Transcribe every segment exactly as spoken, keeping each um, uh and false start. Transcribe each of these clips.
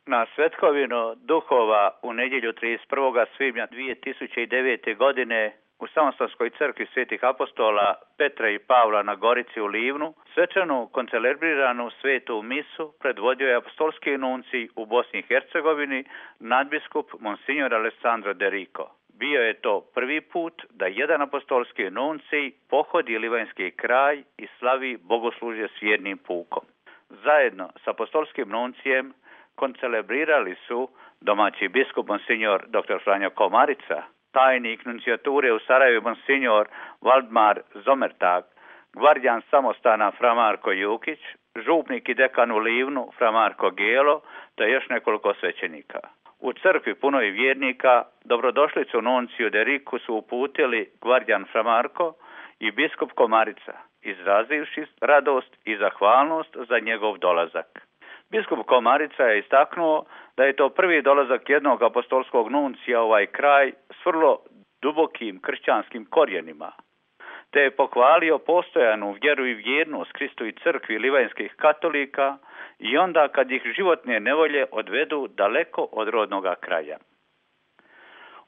Na svetkovinu duhova u nedjelju trideset prvog svibnja dvije tisuće devete. godine u Samostanskoj crkvi svetih apostola Petra i Pavla na Gorici u Livnu svečanu koncelebriranu svetu misu predvodio je apostolski nuncij u Bosni i Hercegovini nadbiskup Monsignor Alessandro De Rico. Bio je to prvi put da jedan apostolski nuncij pohodi livanjski kraj i slavi bogoslužje s jednim pukom. Zajedno s apostolskim nuncijem koncelebrirali su domaći biskup Monsignor dr. Franjo Komarica, tajnik nuncijature u Sarajevu Monsignor Valdmar Zomertag, gvardijan samostana Fra Marko Jukić, župnik i dekan u Livnu Fra Marko Gelo, te još nekoliko svećenika. U crkvi punoj vjernika dobrodošlicu nunciju De Riku su uputili gvardijan Fra Marko i biskup Komarica, izrazivši radost i zahvalnost za njegov dolazak. Biskup Komarica je istaknuo da je to prvi dolazak jednog apostolskog nuncija u ovaj kraj s vrlo dubokim kršćanskim korijenima, te je pohvalio postojanu vjeru i vjernost Kristu i crkvi livanjskih katolika i onda kad ih životne nevolje odvedu daleko od rodnoga kraja.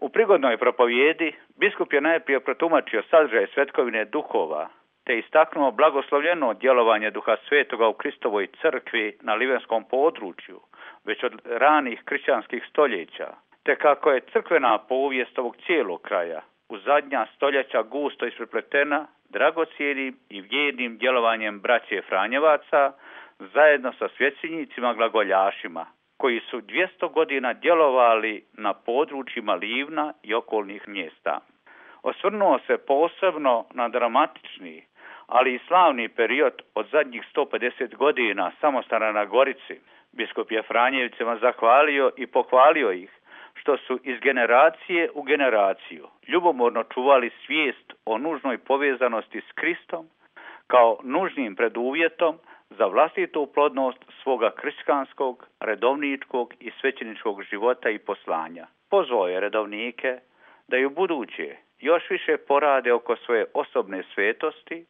U prigodnoj propovjedi biskup je najprije protumačio sadržaj svetkovine duhova, te istaknuo blagoslovljeno djelovanje Duha Svetoga u Kristovoj crkvi na livanjskom području, već od ranih kršćanskih stoljeća, te kako je crkvena povijest ovog cijelog kraja u zadnja stoljeća gusto isprepletena dragocjenim i vjernim djelovanjem braće Franjevaca zajedno sa svećenicima glagoljašima, koji su dvjesto godina djelovali na područjima Livna i okolnih mjesta. Osvrnuo se posebno na dramatični, ali i slavni period od zadnjih sto pedeset godina samostana na Gorici. Biskup je Franjevcima zahvalio i pohvalio ih što su iz generacije u generaciju ljubomorno čuvali svijest o nužnoj povezanosti s Kristom kao nužnim preduvjetom za vlastitu plodnost svoga kršćanskog, redovničkog i svećeničkog života i poslanja. Pozvao je redovnike da i u buduće još više porade oko svoje osobne svetosti,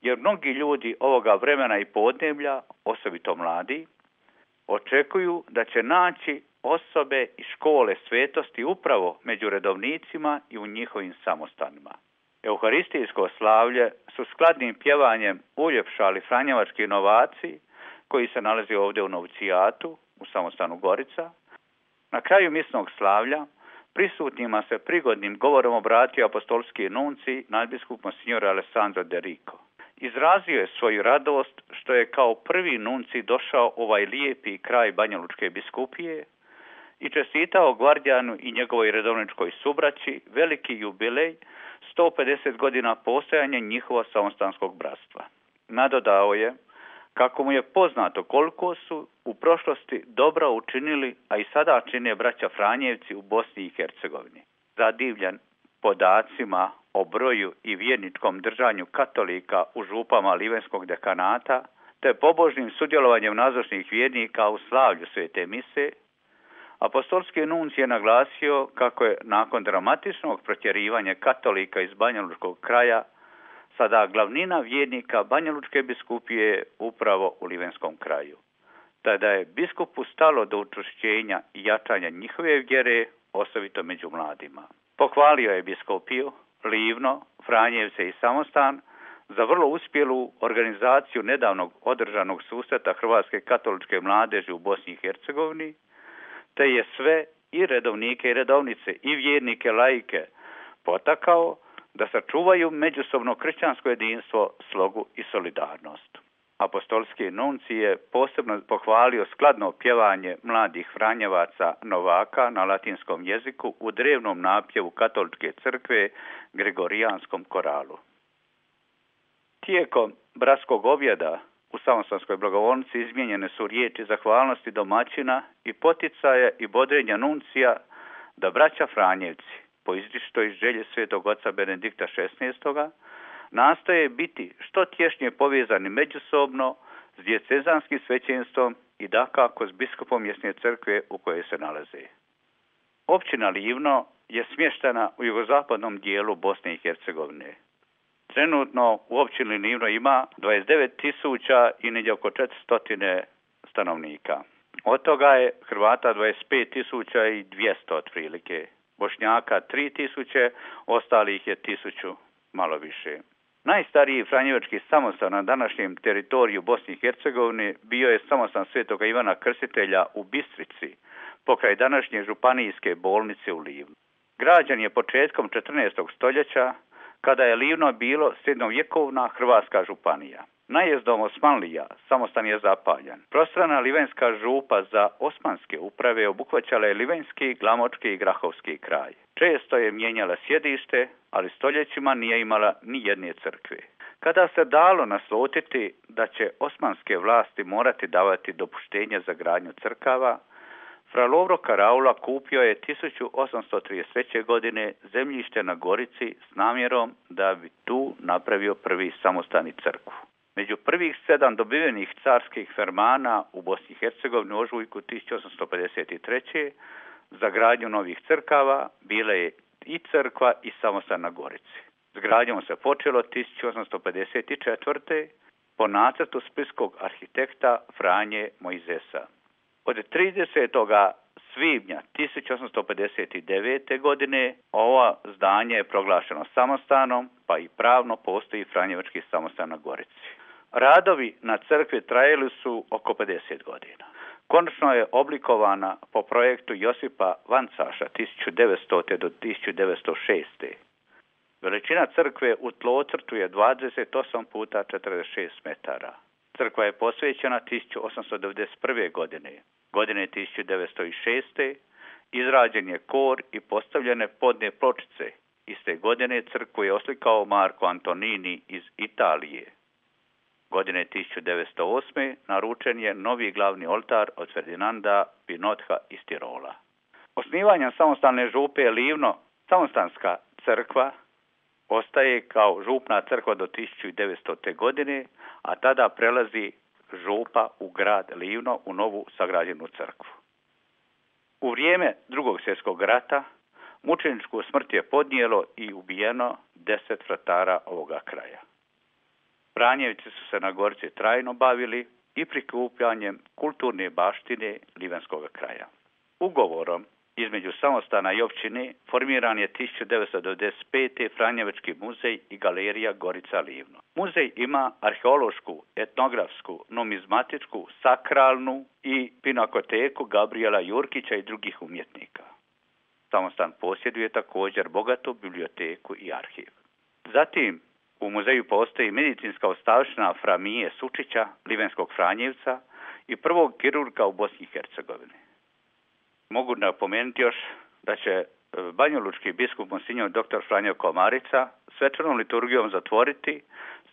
jer mnogi ljudi ovoga vremena i podneblja, osobito mladi, očekuju da će naći osobe i škole svetosti upravo među redovnicima i u njihovim samostanima. Euharistijsko slavlje su skladnim pjevanjem uljepšali franjevački novaci koji se nalazi ovdje u novcijatu u samostanu Gorica. Na kraju misnog slavlja prisutnima se prigodnim govorom obratio apostolski nuncij nadbiskup Monsignor Alessandro De Rico. Izrazio je svoju radost što je kao prvi nuncij došao u ovaj lijepi kraj Banjalučke biskupije i čestitao gvardijanu i njegovoj redovničkoj subraći veliki jubilej sto pedeset godina postojanja njihova samostanskog bratstva. Nadodao je kako mu je poznato koliko su u prošlosti dobro učinili, a i sada čine braća Franjevci u Bosni i Hercegovini. Zadivljen podacima o broju i vjerničkom držanju katolika u župama livanjskog dekanata, te pobožnim sudjelovanjem nazočnih vjernika u slavlju svete mise, apostolski nuncij je naglasio kako je nakon dramatičnog protjerivanja katolika iz Banjalučkog kraja sada glavnina vjernika Banjalučke biskupije upravo u livanjskom kraju. Tada je biskupu stalo do učvršćenja i jačanja njihove vjere, osobito među mladima. Pohvalio je biskupiju, Livno, Franjevce i Samostan za vrlo uspjelu organizaciju nedavnog održanog susreta Hrvatske katoličke mladeži u Bosni i Hercegovini, te je sve i redovnike i redovnice i vjernike laike potakao da sačuvaju međusobno kršćansko jedinstvo, slogu i solidarnost. Apostolski nuncij je posebno pohvalio skladno pjevanje mladih Franjevaca novaka na latinskom jeziku u drevnom napjevu katoličke crkve Gregorijanskom koralu. Tijekom bratskog objeda u samostanskoj blagovolnici izmijenjene su riječi zahvalnosti domaćina i poticaje i bodrenja nuncija da braća Franjevci, po izričitoj želji svetog oca Benedikta šesnaestoga, nastoje biti što tješnje povezani međusobno s diecezanskim svećenstvom i dakako s biskupom mjesne crkve u kojoj se nalaze. Općina Livno je smještena u jugozapadnom dijelu Bosne i Hercegovine. Trenutno u općini Livno ima dvadeset devet tisuća i negdje oko četiristo stanovnika. Od toga je Hrvata dvadeset pet tisuća dvjesto otprilike, Bošnjaka tri tisuće, ostalih je tisuću malo više. Najstariji franjevački samostan na današnjem teritoriju Bosne i Hercegovine bio je samostan Svetoga Ivana Krstitelja u Bistrici, pokraj današnje županijske bolnice u Livnu. Građen je početkom četrnaestog stoljeća, kada je Livno bilo srednjovjekovna hrvatska županija. Najezdom Osmanlija samostan je zapaljen. Prostrana livenska župa za osmanske uprave obuhvaćala je livenski, glamočki i grahovski kraj. Često je mijenjala sjedište, ali stoljećima nije imala ni jedne crkve. Kada se dalo naslutiti da će osmanske vlasti morati davati dopuštenje za gradnju crkava, fra Lovro Karaula kupio je tisuću osamsto trideset treće. godine zemljište na Gorici s namjerom da bi tu napravio prvi samostan i crkvu. Među prvih sedam dobivenih carskih fermana u Bosni i Hercegovini u ožujku tisuću osamsto pedeset treće. za gradnju novih crkava bila je i crkva i samostan na Gorici. S gradnjom se počelo tisuću osamsto pedeset četvrte. po nacrtu splitskog arhitekta Franje Mojzesa. Od tridesetog svibnja tisuću osamsto pedeset devete. godine ovo zdanje je proglašeno samostanom, pa i pravno postoji Franjevački samostan na Gorici. Radovi na crkvi trajali su oko pedeset godina. Konačno je oblikovana po projektu Josipa Vancaša tisuću devetstote. do tisuću devetsto šeste. Veličina crkve u tlocrtu je dvadeset osam puta četrdeset šest metara. Crkva je posvećena tisuću osamsto devedeset prve. godine. Godine tisuću devetsto šeste. izrađen je kor i postavljene podne pločice. Iste godine crkvu je oslikao Marko Antonini iz Italije. Godine tisuću devetsto osme. naručen je novi glavni oltar od Ferdinanda Pinotha iz Tirola. Osnivanjem samostalne župe Livno, samostanska crkva ostaje kao župna crkva do tisuću devetstote. godine, a tada prelazi župa u grad Livno u novu sagrađenu crkvu. U vrijeme Drugog svjetskog rata mučeničku smrt je podnijelo i ubijeno deset vratara ovoga kraja. Franjevci su se na Gorici trajno bavili i prikupljanjem kulturne baštine livenskog kraja. Ugovorom između samostana i općine formiran je tisuću devetsto devedeset pete. Franjevački muzej i galerija Gorica Livno. Muzej ima arheološku, etnografsku, numizmatičku, sakralnu i pinakoteku Gabriela Jurkića i drugih umjetnika. Samostan posjeduje također bogatu biblioteku i arhiv. Zatim u muzeju postoji medicinska ostavština Fra Mije Sučića, livenskog Franjevca i prvog kirurga u Bosni i Hercegovini. Mogu napomenuti još da će banjalučki biskup Monsinjor dr. Franjo Komarica svečanom liturgijom zatvoriti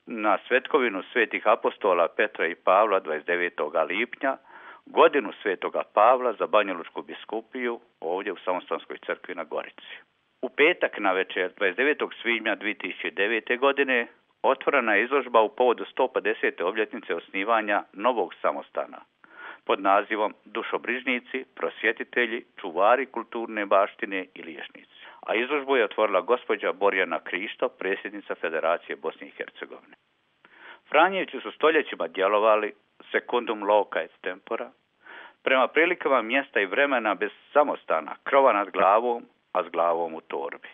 na svetkovinu svetih apostola Petra i Pavla dvadeset devetog lipnja godinu svetoga Pavla za banjalučku biskupiju ovdje u Samostanskoj crkvi na Gorici. U petak na večer dvadeset devetog svibnja dvije tisuće devete. godine otvorena je izložba u povodu sto pedesete. obljetnice osnivanja novog samostana pod nazivom Dušobrižnici, prosvjetitelji, čuvari kulturne baštine i liječnici. A izložbu je otvorila gospođa Borjana Krišto, predsjednica Federacije Bosne i Hercegovine. Franjevci su stoljećima djelovali secundum loca et tempora, prema prilikama mjesta i vremena bez samostana, krova nad glavom, a s glavom u torbi.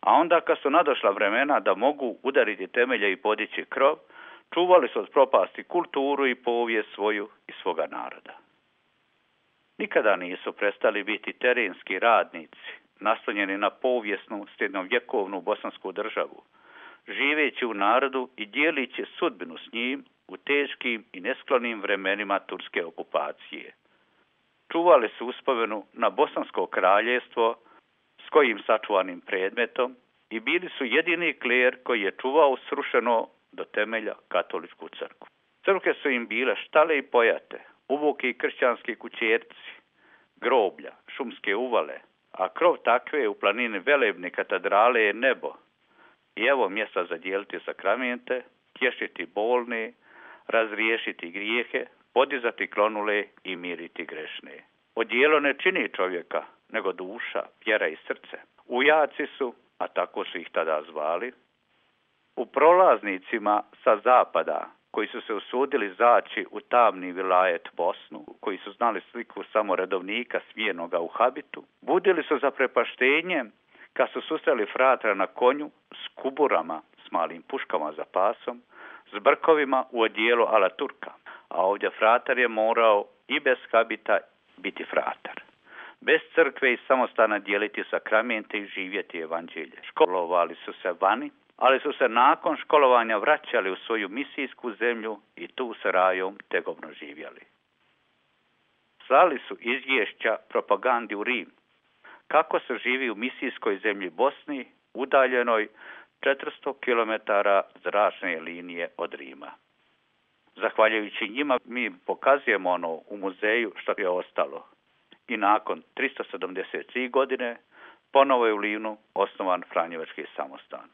A onda kad su nadošla vremena da mogu udariti temelje i podići krov, čuvali su od propasti kulturu i povijest svoju i svoga naroda. Nikada nisu prestali biti terenski radnici, naslonjeni na povijesnu srednjovjekovnu bosansku državu, živeći u narodu i dijelići sudbinu s njim u teškim i nesklonim vremenima turske okupacije. Čuvali su uspomenu na bosansko kraljevstvo s kojim sačuvanim predmetom i bili su jedini kler koji je čuvao srušeno do temelja katoličku crkvu. Crkve su im bile štale i pojate, uvuki i kršćanski kućerci, groblja, šumske uvale, a krov takve u planini velebne katedrale je nebo. I evo mjesta za dijeliti sakramente, tješiti bolne, razriješiti grijehe, podizati klonule i miriti grešne. Odijelo ne čini čovjeka, nego duša, vjera i srce. Ujaci su, a tako su ih tada zvali, u prolaznicima sa zapada koji su se usudili zaći u tamni vilajet Bosnu, koji su znali sliku samo redovnika smijenoga u habitu, budili su zaprepaštenje kad su susreli fratra na konju s kuburama, s malim puškama za pasom, s brkovima u odijelu ala Turka, a ovdje fratar je morao i bez habita biti fratar. Bez crkve i samostana dijeliti sakramente i živjeti evanđelje. Školovali su se vani, ali su se nakon školovanja vraćali u svoju misijsku zemlju i tu s rajom tegovno živjeli. Slali su izvješća propagandi u Rim, kako se živi u misijskoj zemlji Bosni, udaljenoj četiristo kilometara zračne linije od Rima. Zahvaljujući njima mi pokazujemo ono u muzeju što je ostalo. I nakon tristo sedamdeset tri godine ponovo je u Livnu osnovan Franjevački samostan.